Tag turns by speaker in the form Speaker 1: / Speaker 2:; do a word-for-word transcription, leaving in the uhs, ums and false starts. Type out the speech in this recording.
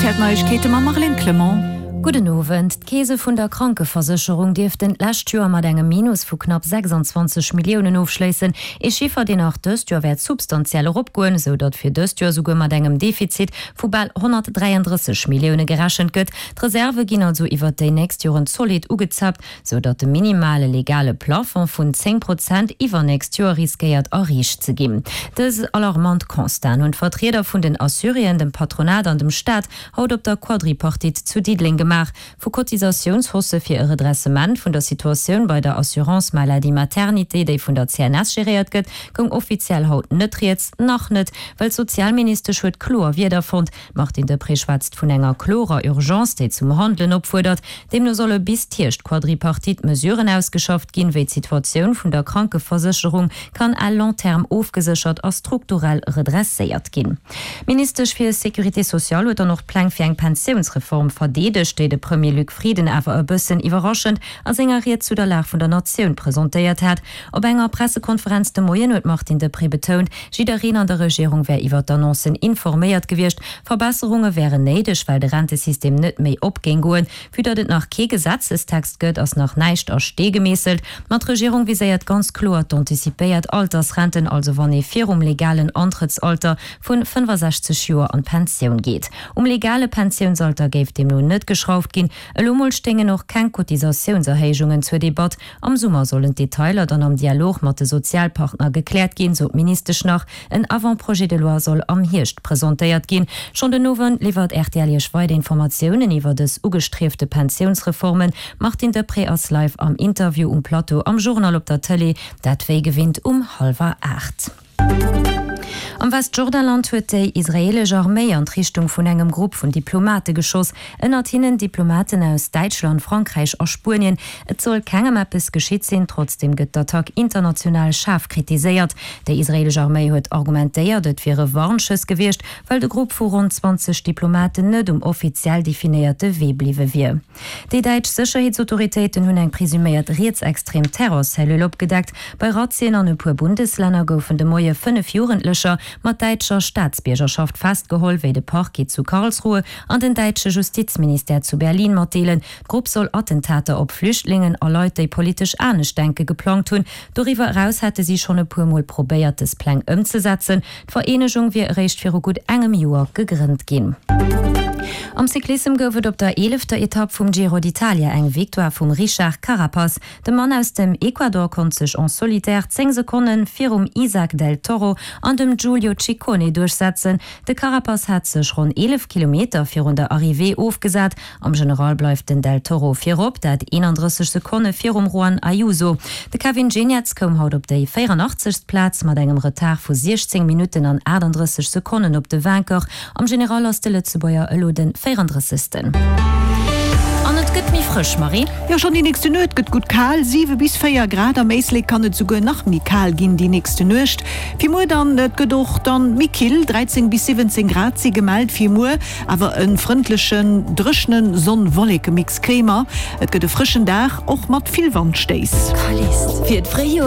Speaker 1: R T L Neiegkeete mam Marlène Clement.
Speaker 2: Gudden Owend. D'Keese vun der Krankeversécherung dierften d'lescht Joer mat engem Minus vu knapp sechsundzwanzeg Milliounen ofschléissen. Ee Chiffer, deen och dëst Joer wäert substantiell eropgoen, sou datt fir dëst Joer souguer mat engem Defizit vu bal honnertdräiandrësseg Millioune gerechent gëtt. D'Reserve ginn also iwwert déi nächst Joren zolidd ugezaapt, sou datt de minimale legale Plafond vun zéng Prozent iwwernächst Joer riskéiert erreecht ze ginn. Dës alarmant Constaten hunn d'Vertrieder vun den Assuréen, dem Patronat an dem Staat haut op der Quadripartite zu Diddeleng gemaach. Vu Cotisatiounshaussë fir e Redressement vun der Situatioun bei der Assurance Maladie Maternité, déi vun der C N S geréiert gëtt, goung offiziell haut net rieds. Nach net, well d'Sozialministesch huet kloer Wierder fonnt. D'Martine Deprez schwätzt vun enger klorer Urgence, déi zum Handelen opfuerdert. Deemno solle bis d'Hierscht-Quadripartite Mesuren ausgeschafft ginn, wéi d'Situatioun vun der Krankeversécherung kann à long terme ofgeséchert a strukturell redresséiert ginn. D'Ministesch fir Sécurité sociale huet dann och d'Pläng fir eng Pensiounsreform verdeedegt, déi de Premier Luc Frieden awer e bëssen iwwerraschend a senger Ried zu der Lag vun der Natioun presentéiert hat. Op enger Pressekonferenz de Moien huet d'Martine Deprez betount, jiddereen an der Regierung wär iwwer d'Annoncen informéiert gewiescht. Verbesserunge wären néideg, well de Rentesystem net méi op géing goen. Vue datt et nach kee Gesetzestext gëtt, ass nach näischt a Stee gemeesselt. Ma d'Regierung viséiert ganz kloer d'antizipéiert Altersrenten, also wann ee virum legalen Antrëttsalter vu fënnefasechzeg Joer an d'Pensioun geet. Um legale Pensiounsalter géif deemno net geschrauft ginn. Elo mol stéingen och keng Cotisatiounserhéijungen zur Debatt. Am Summer sollen d'Detailer dann am Dialog mat de Sozialpartner gekläert ginn, sot d'Ministesch nach. En Avant-projet de loi soll am Hierscht presentéiert ginn. Schonn den Owend liwwert R T L Iech weider Informatiounen iwwer dës ugestriefte Pensiounsreformen. D'Martine Deprez ass live am Interview um Plateau am Journal op der Tëlee, dat wéi gewinnt um hallwer aacht. Am Westjordanland huet déi israeelesch Arméi an d'Richtung vun engem Grupp vun Diplomate geschoss, ënnert hinnen Diplomaten aus Däitschland, Frankräich a Spuenien. Et soll kengem eppes geschitt sinn, trotzdeem gëtt d'Attack international schaarf kritiséiert. Déi israeelesch Arméi huet argumentéiert, et wiere Warnschëss gewiescht, well de Grupp vu ronn zwanzeg Diplomaten net um offiziell definéierte Wee bliwwe wier. Déi däitsch Sécherheetsautoritéiten hunn eng presuméiert rietsextrem Terrorcellule opgedeckt. Bei Razzien an e puer Bundeslänner goufen de Moie fënnef Jugendlecher mat däitscher Staatsbiergerschaft festgeholl, wéi de Parquet zu Karlsruhe an den däitsche Justizministère zu Berlin matdeelen. D'Grupp soll Attentater op Flüchtlingen a Leit, déi politesch anescht denke geplangt hunn. Doriwwer eraus hätte si schonn e puer Mol probéiert, dës Pläng ëmzesetzen. D'Vereenegung wier eréischt viru gutt engem Joer gegrënnt ginn. Am Cyclissem gouf et op der eelefter Etapp vum Giro d'Italia eng Victoire vum Richard Carapaz. De Mann aus dem Ecuador konnt sech en solitaire zéng Sekonne virum Isaac del Toro an dem Giulio Ciccone duerchsetzen. De Carapaz hat sech ronn eelef Kilometer virun der Arrivée ofgesat. Am General bleift den Del Toro virop, dat eenandrësseg Sekonne virum Juan Ayuso. De Kevin Geniets koum haut op déi véierandachtzegst Plaz mat engem Retard vu siechzéng Minutten an aachtanddrësseg Sekonnen op de Vainqueur. Am General ass de Lëtzebuerger elo de véierandrëssegsten. An et gëtt méi frësch, Marie.
Speaker 1: Jo, schonn déi nächste Nuet gëtt gutt kal, siwe bis véier Grad. Am Éislek kann et souguer nach méi kal ginn déi nächste Nuecht. Fir muer dann, et gëtt och dann méi kill, dräizéng bis siwwenzéng Grad si gemellt fir muer, awer e frëndlechen, dréchene Sonn-Wolleke-Mix kréie mer. Et gëtt e frëschen Dag, och mat vill Wandstéiss.
Speaker 3: Fir d'Fréijoer.